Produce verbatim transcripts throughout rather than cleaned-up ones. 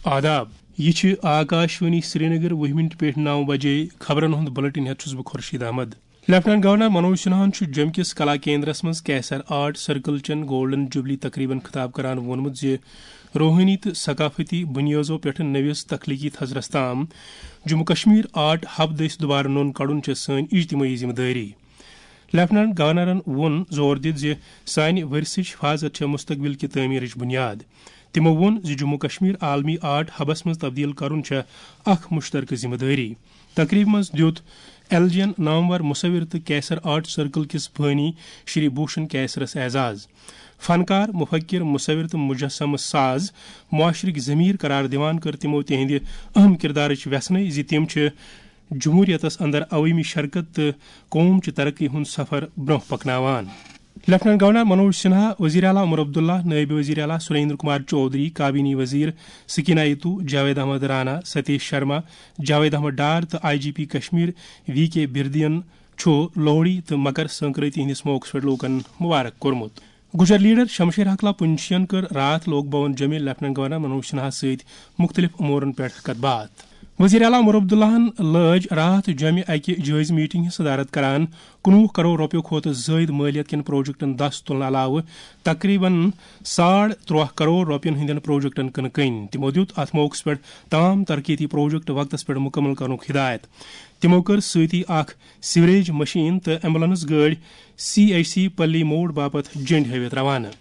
آداب، یہِ چھِ آکاشوانی سرینگر، وُہ منٹ پٮ۪ٹھ نو بجے۔ خبرن ہُنٛد بلیٹن ہٮ۪تھ چھُس بہٕ خورشید احمد۔ لیفٹیننٹ گورنر منوج سنہاہن چھُ جوٚمہِ کِس کلا کیندرس منٛز کیسر آرٹ سرکل چٮ۪ن گولڈن جوبلی تقریبن خطاب کران ووٚنمُت زِ روحٲنی تہٕ ثقافتی بُنیٲزو پٮ۪ٹھ نٔوِس تخلیقی تھزرس تام جموں کشمیر آرٹ ہب دٔسۍ دُبارٕ نوٚن کڑُن چھےٚ سٲنۍ اجتمٲعی ذمہٕ دٲری۔ لیفٹیننٹ گورنرن ووٚن زور دِتھ زِ سانہِ ورثٕچ حفاظت چھےٚ مستقبل کہِ تعمیرٕچ بُنیاد۔ تِمو ووٚن زِ جموں کشمیر عالمی آرٹ ہبس منٛز تبدیل کرُن چھےٚ اکھ مشترکہ ذمہٕ دٲری۔ تقریبہِ منٛز دیُت ایل جی این نامور مصور تہٕ کیسر آرٹ سرکل کِس بٲنی شری بھوشن کیسرس اعزاز۔ فنکار، مفکر، مصور تہٕ مجسمہٕ ساز معاشرٕکۍ ضمیر قرار دِوان کٔر تِمو تِہنٛدِ اہم کردارٕچ وٮ۪ژھنٕے زِ تِم چھِ جمہوریتس اندر عوٲمی شرکت تہٕ قوم چہِ ترقی ہُنٛد سفر برونٛہہ پکناوان۔ لیفٹیننٹ گورنر منوج سنہا، وزیر اعلیٰ عمر عبداللہ، نائب وزیر اعلیٰ سریندر کمار چودھری، کابینی وزیر سکینہ ایتو، جاوید احمد رانا، ستیش شرما، جاوید احمد ڈار تہٕ I G P Kashmir V K بردین چھُ لوہڑی تہٕ مکر سنکرانتی ہٕنٛدِس موقعس پٮ۪ٹھ لوٗکن مبارک کوٚرمُت۔ گُجر لیڈر شمشیر حقلا پُنچھین کٔر راتھ لوک بھون جوٚمہِ لیفٹیننٹ گورنر منوج سنہاہس سۭتۍ مُختٔلِف امورن پٮ۪ٹھ کتھ باتھ۔ وزیر اعلیٰ عمر عبداللہن لٲج راتھ جوٚمہِ اکہِ جٲیزٕ میٹنگ ہٕنٛز صدارت کران کُنوُہ کرور رۄپیو کھۄتہٕ زٲیِد مٲلیت کٮ۪ن پروجیکٹن دس تُلنہٕ علاوٕ تقریباً ساڑ ترٛواہ کرور رۄپین ہٕنٛدٮ۪ن پروجیکٹن کٕنہٕ کٕنۍ۔ تِمو دیُت اتھ موقعس پٮ۪ٹھ تمام ترقیتی پروجیکٹ وقتس پٮ۪ٹھ مُکمل کرنُک ہدایت۔ تِمو کٔر سۭتی اکھ سیوریج مشین تہٕ ایمبولینس گٲڑۍ سی ایچ سی پلی موڑ باپتھ جنڈ ہٲوِتھ روانہٕ۔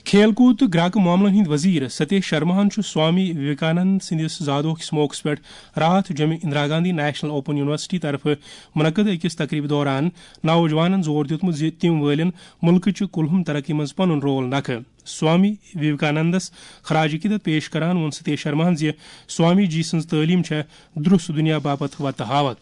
کھیل کوٗد تہٕ گراکہٕ معاملن ہٕنٛدۍ وزیر ستیش شرماہن چھُ سوامی وویکانند سٕنٛدِس زادوہ کِس موقعس پٮ۪ٹھ راتھ جوٚمہِ Indira Gandhi national open university طرفہٕ منعقد أکِس تقریبہِ دوران نوجوانن زور دیُتمُت زِ تِم وٲلِن مُلکٕچہِ کُلہُم ترقی منٛز پنُن رول نکھٕ۔ سوامی وویکانندس خراج عقیدت پیش کران ووٚن ستیش شرماہن زِ سوامی جی سٕنٛز تعلیٖم چھےٚ درست دُنیا باپتھ وتہٕ ہاوکھ۔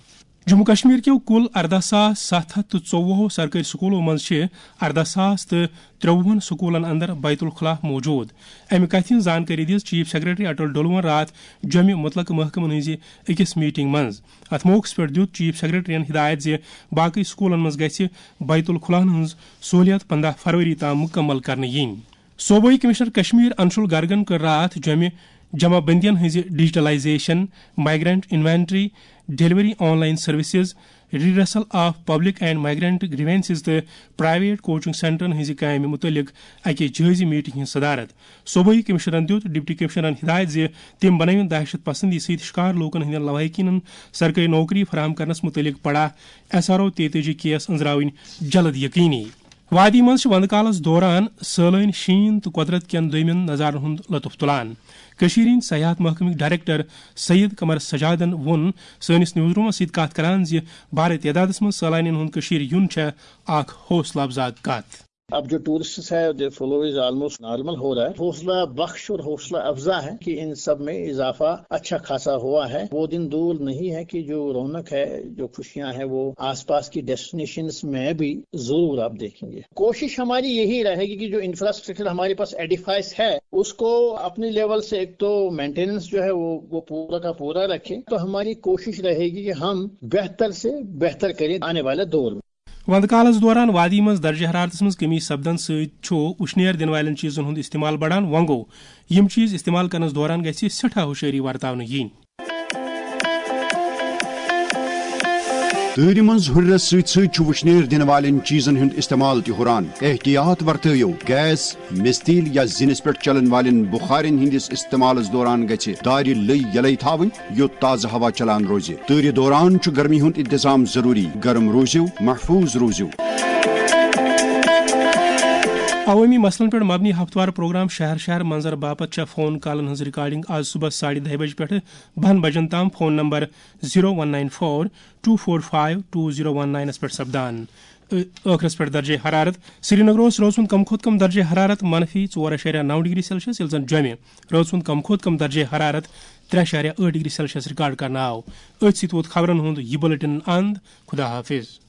جموں کشمیر کیو کُل ارداہ ساس ستھ ہتھ تہٕ ژوٚوُہو سرکٲرۍ سکوٗلو منٛز چھِ ارداہ ساس تہٕ ترٛوٚوُہن سکوٗلن اندر بیت الخلا موجود۔ امہِ کتھِ ہٕنٛز زانکٲری دِژ چیف سیکرٹری اٹل ڈولون راتھ جوٚمہِ متعلقہٕ محکمن ہٕنٛزِ أکِس میٹنگ منٛز۔ اتھ موقعس پٮ۪ٹھ دیُت چیف سیکرٹریَن ہدایت زِ باقٕے سکوٗلن منٛز گژھِ بیت الخلاہن ہٕنٛز سہوٗلیت پنداہ فروری تام مُکمل کرنہٕ یِنۍ۔ صوبٲئی کمشنر کشمیر انشول گرگن کٔر راتھ جوٚمہِ جمع بندین ہٕنٛزِ digitalisation, migrant inventory, delivery online services, redressal of public and migrant grievances تہٕ پرائیویٹ کوچنگ سینٹرن ہٕنٛزِ کامہِ مُتعلق اکہِ جٲیزٕ میٹنگ ہٕنٛز صدارت۔ صوبٲئی کمشنرن دیُت ڈپٹی کمشنرن ہدایت زِ تِم بنٲوِن دہشت پسندی سۭتۍ شکار لوٗکن ہٕنٛدٮ۪ن لواحقینن سرکٲرۍ نوکری فراہم کرنس مُتعلق پڑا ایس آر او تیتٲجی کیس أنٛزراوٕنۍ جلد یقینی۔ وادی منٛز چھِ وندٕ کالس دوران سٲلٲنۍ شیٖن تہٕ قۄدرت کٮ۪ن دوٚیمٮ۪ن نظارن ہُنٛد لطف تُلان۔ کٔشیٖرِ ہٕنٛدۍ سیاحت محکمٕکۍ ڈائریکٹر سید قمر سجادن ووٚن سٲنِس نیوز رومس سۭتۍ کتھ کران زِ بھارٕ تعدادس منٛز سٲلانین ہُنٛد کٔشیٖرِ یُن چھےٚ اکھ حوصلہٕ افزا کتھ۔ اب جو ٹورسٹ ہے، the flow is almost normal ہو رہا ہے۔ حوصلہ بخش اور حوصلہ افزا ہے کہ ان سب میں اضافہ اچھا خاصا ہوا ہے۔ وہ دن دور نہیں ہے کہ جو رونق ہے، جو خوشیاں ہیں، وہ آس پاس کی ڈیسٹینیشنز میں بھی ضرور آپ دیکھیں گے۔ کوشش ہماری یہی رہے گی کہ جو انفراسٹرکچر ہمارے پاس ایڈیفائز ہے، اس کو اپنی لیول سے ایک تو مینٹیننس جو ہے وہ وہ پورا کا پورا رکھیں۔ تو ہماری کوشش رہے گی کہ ہم بہتر سے بہتر کریں آنے والے دور میں۔ وندٕ کالس دوران وادی منٛز درجہ حرارتس منٛز کمی سپدن سۭتۍ چھُ وُشنیر دِنہٕ والٮ۪ن چیٖزن ہُنٛد استعمال بڑان۔ وۄنۍ گوٚو، یِم چیٖز استعمال کرنس دوران گژھِ سٮ۪ٹھاہ ہُشٲری ورتاونہٕ یِنۍ۔ تۭرِ منٛز ہُرٮ۪رس سۭتۍ سۭتۍ چھُ وُشنیر دِنہٕ والٮ۪ن چیٖزن ہُنٛد استعمال تہِ ہُران۔ احتیاط ورتٲیِو، گیس، مِستیٖل یا زِنِس پٮ۪ٹھ چلن والٮ۪ن بُخارٮ۪ن ہٕنٛدِس استعمالس دوران گژھِ دارِ لٔۍ یلے تھاوٕنۍ، یوٚت تازٕ ہوا چلان روزِ۔ تۭرِ دوران چھُ گرمی ہُنٛد انتظام ضروٗری۔ گرم روٗزِو، محفوٗظ روٗزِو۔ عوٲمی مسلن پٮ۪ٹھ مبنی ہفتہٕ وار پروگرام شہر شہر منظر باپتھ چھےٚ فون کالن ہٕنٛز ریکارڈنگ آز صبحس ساڑِ دَہہِ بجہِ پٮ۪ٹھٕ بَہَن بجن تام phone number zero one nine four two four five two zero one nine پٮ۪ٹھ سپدان۔ ٲ-، ٲخرس پٮ۪ٹھ درجہ حرارت۔ سرینگرس رٲژ ہُنٛد کم کھۄتہٕ کم درجہ حرارت منفی ژور اعشاریہ نو ڈگری سیلسیس، ییٚلہِ زن جوٚمہِ رٲژ ہُنٛد کم کھۄتہٕ کم درجہ حرارت ترٛےٚ اعشاریہ ٲٹھ ڈگری سیلسیس ریکارڈ کرنہٕ آو۔ أتھۍ سۭتۍ ووت خبرن ہُنٛد یہِ بلیٹن اند۔ خدا حافظ۔